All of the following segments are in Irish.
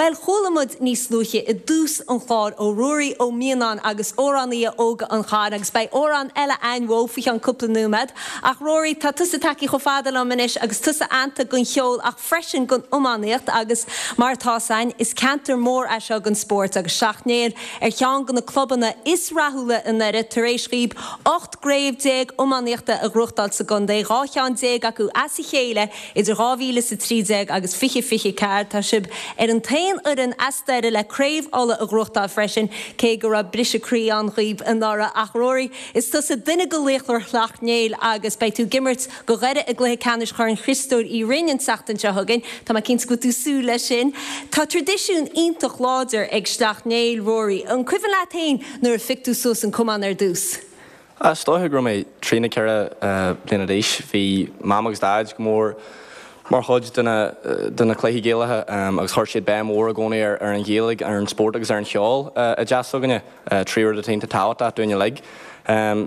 Bhuel, chuala muid níos luaithe i dtús an chláir ó Ruairí Ó Mianáin agus amhránaithe óga an Chairn agus beidh amhrán eile a'ainn uaidh faoi cheann cúpla nóiméad. Ach Rory, tá tusa tagtha chomh fada liom anois agus tusa aitheanta don cheol ach freisin don iománaíocht agus mar atá 's a'ainn, is ceantar mór é seo don spórt agus Sleacht Néill ar cheann de na clubanna is rathúla i nDoire tar éis dhaoib 18 gcraobh iománaíochta a ghnóthachtáil sa gcontae, 12 cheann acu as a chéile idir 2013 agus 2024. Tá sibh ar an t-aon fhoireann as Doire le Craobh Uladh a ghnóthachtáil freisin, cé go raibh briseadh croí ann dhaoib anuraidh. Ach Rory, is tusa duine de laochra Shleacht Néill agus beidh tú ag imirt do Dhoire i gcluiche ceannais Chorn Chriostóir Uí Rinn an tseachtain seo chugainn. Tá mé cinnte go bhfuil tú ag súil leis sin. Tá traidisiún iontach láidir ag Sleacht Néill, Rory. An cuimhin leat féin nuair a phioc tú suas an camán ar dtús? Is dóiche go raibh mé trí nó 4 bliana d'aois. Bhí Mam agus Daid go mór mar chuid de na de na cluichí Gaelacha agus chuir siad béim mhór i gcónaí ar ar an Ghaeilge, ar an spórt agus ar an cheol i dteach s'againne, trí rud atá iontach tábhachtach dúinn uilig.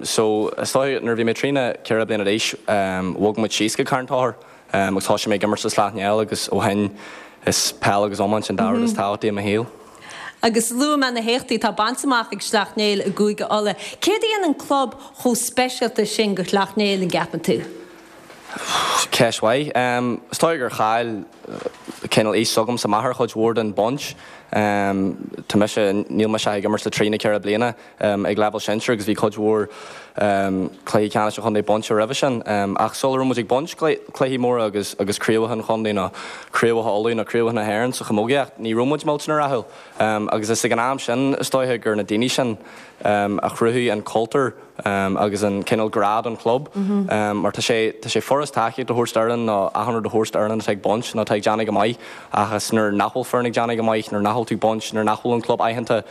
So is dóiche nuair a bhí mé trí nó 4 bliana d'aois bhog muid síos go Carn Tóchair agus thosaigh mé ag imirt le Sleacht Néill agus ó shin is peil agus iomáint an dá rud is tábhachtaí i mo shaol. Agus luaigh mé na héachtaí atá bainte amach ag Sleacht Néill i gCúige Uladh. Céard a dhéanann an club chomh speisialta sin do Shleacht Néill, an gceapann tú? Ceist mhaith. Is dóigh gur chaill cineál aois s'agamsa m'athair chuid mhór den baint. Tá mise, níl mise ach ag imirt le trí nó 4 bliana ag leibhéal sinsir agus bhí cuid mhór cluichí ceannais an chontae bainte roimhe sin. Ach sula raibh muid ag baint cluichí móra agus agus craobhacha an chontae nó craobhacha Uladh nó craobhacha na hÉireann sa chamógaíocht, ní raibh muid millteanach rathúil. Agus is ag an am sin is dóiche gur na daoine sin a chruthaigh an cultúr agus an cineál grá don chlub. Mar tá sé, tá sé furast tacaíocht a thabhairt d'fhoireann nó achan rud a thabhairt d'fhoireann atá ag baint nó atá ag déanamh go maith ach is nuair nach bhfuil foireann ag déanamh go maith, nuair nach bhfuil tú ag baint, nuair nach bhfuil an club aitheanta,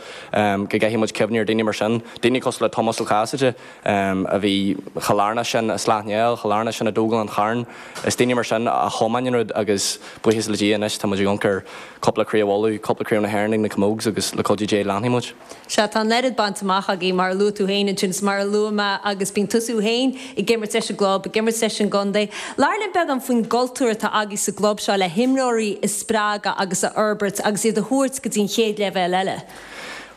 go gcaithfidh muid cuimhniú ar daoine mar sin. Daoine cosúil le Tomás Ó Casaide a bhí chomh lárnach sin i Sleacht Néill, chomh lárnach sin i dtógáil an Chairn. Is daoine mar sin a thiomáin an rud agus buíochas le Dia anois tá muid ag amharc ar cúpla craobh Uladh, cúpla craobh na hÉireann ag na Camogs agus le cuidiú Dé leanfaidh muid. Sea, tá an oiread bainte amach agaibh, mar a luaigh tú féin ansin, is mar a luaigh mé, agus bíonn tusa féin ag imirt leis an gclub, ag imirt leis an gcontae. Labhair linn beagán faoin gcultúr atá agaibh sa gclub seo le himreoirí a spreagadh agus a fhorbairt agus iad a thabhairt go dtí an chéad leibhéal eile.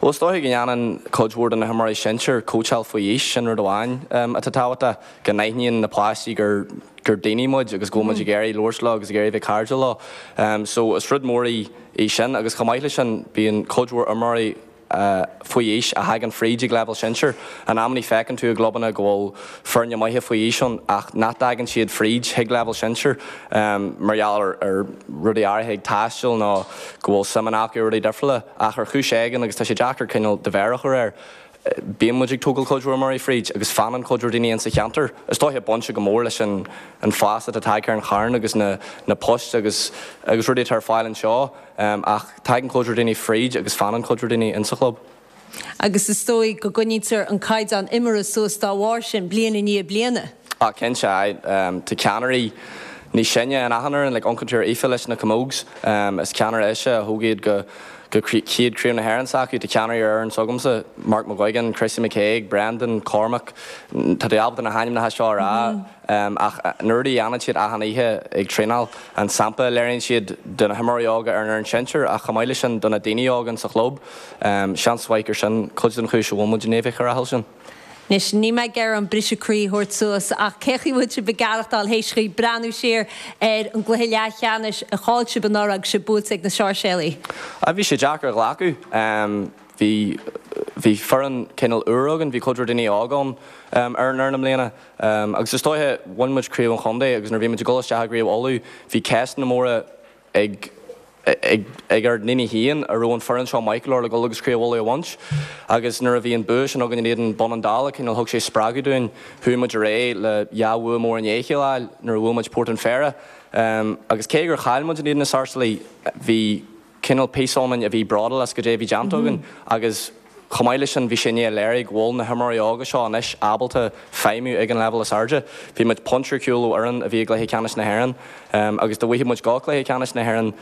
Bhuel, is dóiche go ndéanann cuid mhór de na himreoirí sinsir cóitseáil faoi aois, sin rud amháin atá tábhachtach, go n-aithníonn na páistí gur gur daoine muid agus go bhfuil muid ag iarraidh labhairt leo agus ag iarraidh bheith cairdiúil leo. So is rud mór í í sin agus chomh maith leis sin bíonn cuid mhór imreoirí faoi aois a thagann fríd ag leibhéal sinsir. In amannaí feiceann tú i gclubanna go bhfuil foirne maithe faoi aois ann ach nach dtagann siad fríd chuig leibhéal sinsir mar gheall ar ar rudaí áirithe ag taisteal nó go bhfuil suimeanna acu i rudaí difriúla ach ar chúis éigin agus tá sé deacair cineál do mhéar a chur air. Bíonn muid ag tógáil cuid mhór imreoirí fríd agus fanann cuid mhór daoine insa cheantar. Is dóiche bainte go mór leis an an fás atá tagtha ar an Charn agus na na poist agus agus rudaí atá ar fáil anseo ach tagann cuid mhór daoine fríd agus fanann cuid mhór daoine insa chlub. Agus is dóigh go gcoinnítear an caighdeán imeartha suas dá bharr sin, bliain i ndiaidh bliana. Ah cinnte, aye. Tá ceannairí níos sine in achan fhoireann, like amharcann tú ar Aoife leis na Camogs, is ceannaire ise a thóg iad go go chéad Craobh na hÉireann s'acu. Tá ceannairí ar fhoireann s'agamsa, Mark McGuigan, Chrissy McKaigue, Brendan, Cormac, tá tú ábalta na hainmneacha seo a rá ach na rudaí a dhéanann siad achan oíche ag traenáil, an sampla a léiríonn siad do na himreoirí óga ar an fhoireann sinsir ach chomh maith leis sin do na daoine óga insa chlub, seans mhaith gur sin cuid den chúis a bhfuil muid i ndiaidh bheith chomh rathúil sin. Anois, níl mé ag iarraidh an briseadh croí a thabhairt suas, ach cé chaoi bhfuil sibh ag aireachtáil théis dhaoibh breathnú siar ar an gcluiche leathcheannais a chaill sibh anuraidh agus sibh buailte ag na Sáirséalaigh? Bhí sé deacair a ghlacadh. Bhí, bhí foireann cineál úr againn, bhí cuid mhór daoine óga ann ar an fhoireann i mbliana. Agus is dóiche, bhain muid Craobh an Chontae agus nuair a bhí muid ag dul isteach i gCraobh Uladh, bhí ceisteanna móra ag ag ár ndaoine féin an raibh an foireann seo maith go leor le dul agus Craobh Uladh a bhaint. Agus nuair a bhí an bua sin againn in éadan Bun an Dála, cineál thug sé spreagadh dúinn. Chuaigh muid ar aghaidh le dhá bhua mór i ndiaidh a chéile a fháil nuair a bhuail muid Port an Phéire. Agus cé gur chaill muid in éadan na Sáirséalaigh, bhí cineál píosa ionainn a bhí bródúil as goidé a bhí déanta againn agus Chomh maith leis sin, bhí sé i ndiaidh a léiriú go bhfuil na himreoirí óga seo anois ábalta feidhmiú ag an leibhéal is airde. Bhí muid pointe ar chúl ó fhoireann a bhí i gcluiche ceannais na hÉireann agus dá bhfaigheadh muid go cluiche ceannais na hÉireann,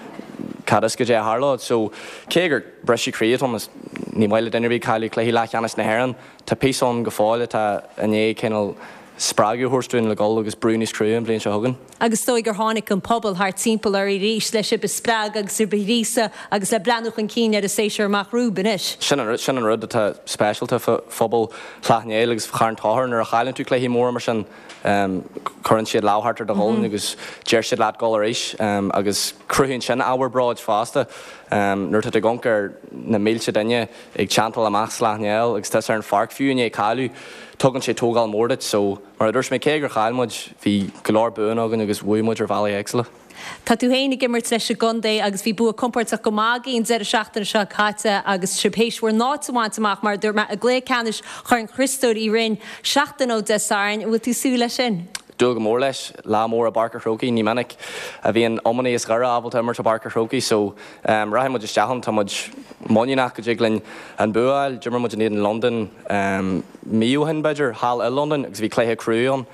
cad is goidé a tharlódh. So, cé gur briseadh croí atá ann, is ní maith le duine ar bith cailleadh cluiche leathcheannais na hÉireann, tá píosa ann go fóill atá i ndiaidh cineál. spreagadh a thabhairt dúinn le dhul agus brú níos crua an bhliain seo chugainn. Agus is dóigh gur tháinig an pobal thart timpeall oraibh arís le sibh a spreagadh agus sibh a ghríosadh agus le breathnú chun cinn ar an séasúr amach romhaibh anois. Sin an rud, sin an rud atá speisialta fá phobal Shleacht Néill agus Charn Tóchair, nuair a chailleann tú cluichí móra mar sin, cuireann siad lámh thart ar do ghualainn agus deir siad leat dul arís agus cruthaíonn sin ábhar bróid fosta. Nuair atá tú ag amharc ar na mílte duine ag teanntáil amach Sleacht Néill agus tusa ar an pháirc fiú i ndiaidh cailleadh, tugann sé tógáil mór duit. So, mar a dúirt mé, cé gur chaill muid, bhí go leor buanna againn agus bhuaigh muid ar bhealaí éagsúla. Tá tú féin ag imirt leis an gcontae agus bhí bua compóirteach go maith agaibh an deireadh seachtaine seo caite agus sibh théis bhur n-áit a bhaint amach, mar a dúirt mé, i gcluiche ceannais Chorn Chriostóir Uí Rinn seachtain ó Dé Sathairn. An bhfuil tú ag súil leis sin? Dúil go mór leis. Lá mór i bPáirc a' Chrócaigh. Ní minic a bhíonn iománaí as Doire ábalta imirt i bPáirc a' Chrócaigh so rachaidh muid isteach ann. Tá muid muiníneach go dtig linn an bua a fháil. D'imir muid in éadan Londain mí ó shin b'fhéidir, thall i Londain agus bhí cluiche crua ann.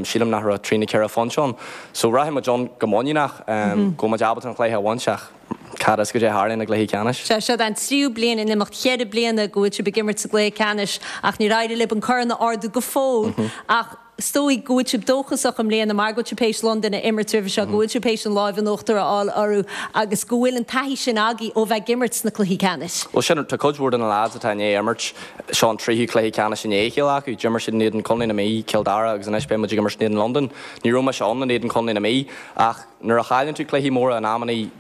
Sílim nach raibh trí nó ceithre phointe ann. So rachaidh muid ann go muiníneach go bhfuil muid ábalta an cluiche a bhaint ach cad is goidé a tharlaíonn i gcluichí ceannais. Sea, seo an tríú bliain in imeacht cheithre bliana go bhfuil sibh ag imirt sa gcluiche ceannais ach níor éirigh libh an corn a ardú go fóill ach Is dóigh go bhfuil sibh dóchasach i mbliana mar go bhfuil sibh théis Londain a imirt roimhe seo, go bhfuil sibh théis an láimh in uachtar a fháil orthu agus go bhfuil an taithí sin agaibh ó bheith ag imirt sna cluichí ceannais. Bhuel sin, tá cuid mhór de na lads atá i ndiaidh imirt, seo an tríú cluiche ceannais i ndiaidh a chéile acu. D'imir siad in éadan Contae na Mí, Cill Dara agus anois beidh muid ag imirt in éadan Londain. Ní raibh mise ann in éadan Contae na Mí ach nuair a chailleann tú cluichí móra in amannaí,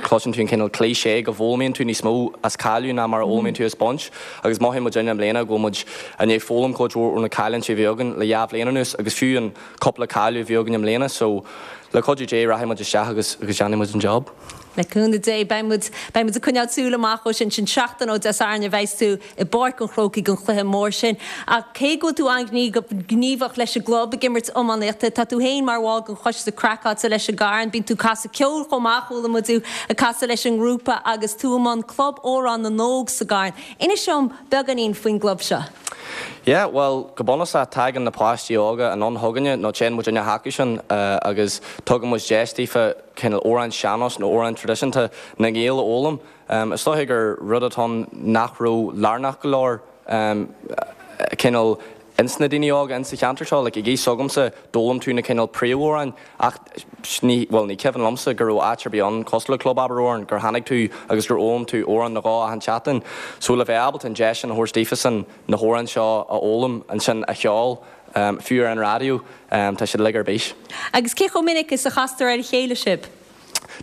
cloiseann tú an cineál cliché go bhfoghlaimíonn tú níos mó as cailleadh ná mar a fhoghlaimíonn tú as baint agus mothaíonn muid i mbliana go bhfuil muid i ndiaidh foghlaim cuid mhór ó na cailliúintí a bhí againn le dhá bhliain anuas agus fiú an cúpla cailleadh a bhí againn i mbliana so le cuidiú Dé rachaidh muid isteach agus agus déanfaidh muid an job. Le cúnamh Dé beidh muid beidh muid ag coinneáil súil amach dhó sin. Sin seachtain ó Dé Sathairn a bheas tú i bPáirc an Chrócaigh don chluiche mór sin. Ach cé go bhfuil tú an-ghníomhach leis an gclub ag imirt iománaíochta, tá tú féin mar bhall den choiste craiceáilte leis an gCarn. Bíonn tú ag casadh ceoil chomh maith, chuala muid thú ag casadh leis an ngrúpa agus tú i mbun Club Amhrán na nÓg sa gCarn. Inis dom beagáinín faoin gclub seo. Yeah, bhuel, go bunúsach, tagann na páistí óga anonn chugainne, nó téann muidinne chucusan agus tugann muid deis daofa cineál amhráin sean-nós nó amhráin traidisiúnta na nGael a fhoghlaim. Is dóiche gur rud atá ann nach raibh lárnach go leor cineál ins na daoine óga ins sa cheantar seo. Like ag aois s'agamsa d'fhoghlaim tú na cineál príomhamhráin ach ní, bhuel ní cuimhin liomsa go raibh áit ar bith ann cosúil le Club Abair Amhrán gur tháinig tú agus gur fhoghlaim tú amhrán nó dhó achan tseachtain. So le bheith ábalta an deis sin a thabhairt daofasan na hamhráin seo a fhoghlaim ansin a cheol fiú ar an raidió tá siad uilig ar bís. Agus cé chomh minic is a chastar ar a chéile sibh?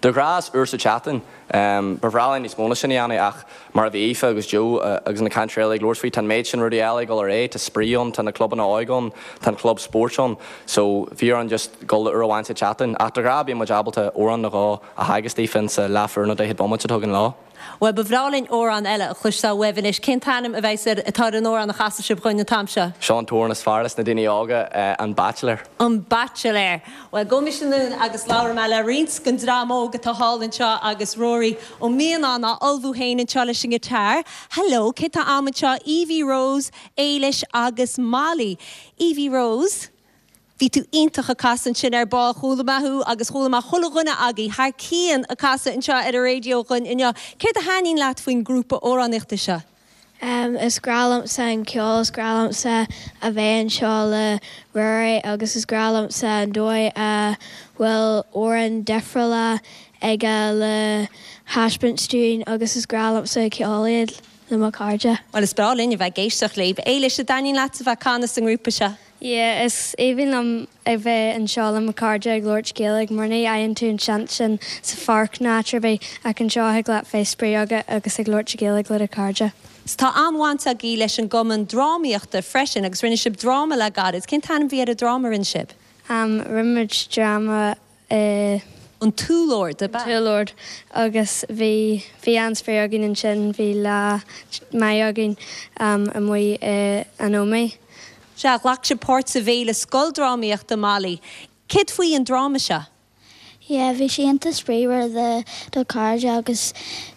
De ghnáth is uair sa tseachtain. Ba bhreá linn níos mó ná sin a dhéanamh ach mar a bhí Aoife agus Joe agus na cainteoirí eile ag labhairt faoi, tá an méid sin rudaí eile ag dul ar aghaidh, tá spraoi ann, tá na clubanna óige ann, tá an club spóirt ann so bhí orainn just dul le uair amháin sa tseachtain. Ach de ghnáth bíonn muid ábalta amhrán nó dhó a theagasc daofa insa leathuair nó daichead bomaite atá againn leo. Bhuel, ba bhreá linn amhrán eile a chloisteáil uaibh anois. Cén t-ainm a bheas ar, atá ar an amhrán a chasfaidh sibh dhúinn an t-am seo? Seo an t-amhrán is fearr leis na daoine óga, An Baitsiléir. An Baitsiléir. Bhuel, gabhaimis anonn agus labhróidh mé le roinnt den dream óg atá thall anseo agus Rory Ó Mianáin á ullmhú féin anseo leis an ngiotár. Hello, cé tá a'm anseo? Evie Rose, Éilis agus Molly. Evie Rose? Bhí tú iontach ag casadh ansin ar ball. Chuala mé thú agus chuala mé chuile dhuine agaibh thar cionn ag casadh anseo ar an raidió dhúinn inniu. Céard a thaitníonn leat faoin ngrúpa amhránaíochta seo? Is grá liomsa an ceol, is grá liomsa a bheith anseo le Ruairí agus is grá liomsa an dóigh a bhfuil amhráin difriúla aige le thaispeáint dúinn agus is grá liomsa ceol iad le mo chairde. Bhuel, is breá linn a bheith ag éisteacht libh. Éilis, an dtaitníonn leat a bheith ag canadh sa ngrúpa seo? Yeah, is aoibhinn liom a bheith anseo le mo chairde ag labhairt Gaeilge mar ní fhaigheann tú an seans sin sa pháirc nó áit ar bith ach anseo thig leat bheith spraoi agat agus ag labhairt Gaeilge le do chairde. 'S tá an-bhaint agaibh leis an gcumann drámaíochta freisin agus rinne sibh dráma le gairid. Cén t-ainm a bhí ar an dráma a rinne sibh? Rinne muid dráma i. An tÚllord, ab ea? An tÚllord agus bhí, bhí an-spraoi againn ansin, bhí lá maith againn amuigh i an Ómaigh. Sea, ghlac sibh páirt sa bhFéile Scoildrámaíochta, Molly. Céard faoi an dráma seo? Yeah, bhí sé iontach spraoiúil le do chairde agus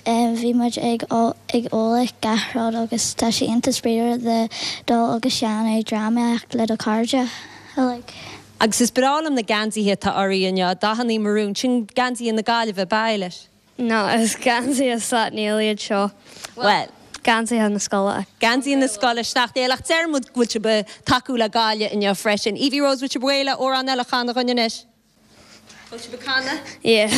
bhí muid ag ag ól gach rud agus tá sé iontach spraoiúil le dul agus déanamh drámaíocht le do chairde uilig. Agus is breá liom na geansaithe atá oraibh inniu, dathannaí marún, sin geansaithe na Gaillimhe, ab ea, Éilis? No, is geansaithe Sleacht Néill iad seo. Bhuel. Geansaithe na scoile. Geansaithe na scoile, Sneachta Éile, ach deir muid go bhfuil sibh ag tacú le Gaillimh inniu freisin. Evie Rose, bhfuil sibh réidh le amhrán eile a chanadh dhúinn anois? Bhfuil sibh ag canadh? Yeah.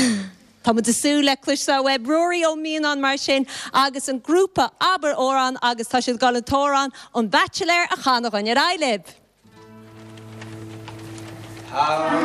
Tá muid ag súil le cloisteáil uaibh. Ruairí Ó Mianáin mar sin agus an grúpa Abair Amhrán agus tá siad ag dul an t-amhrán An Baitsiléir a chanadh dhúinn. Ar aghaidh libh! Tá.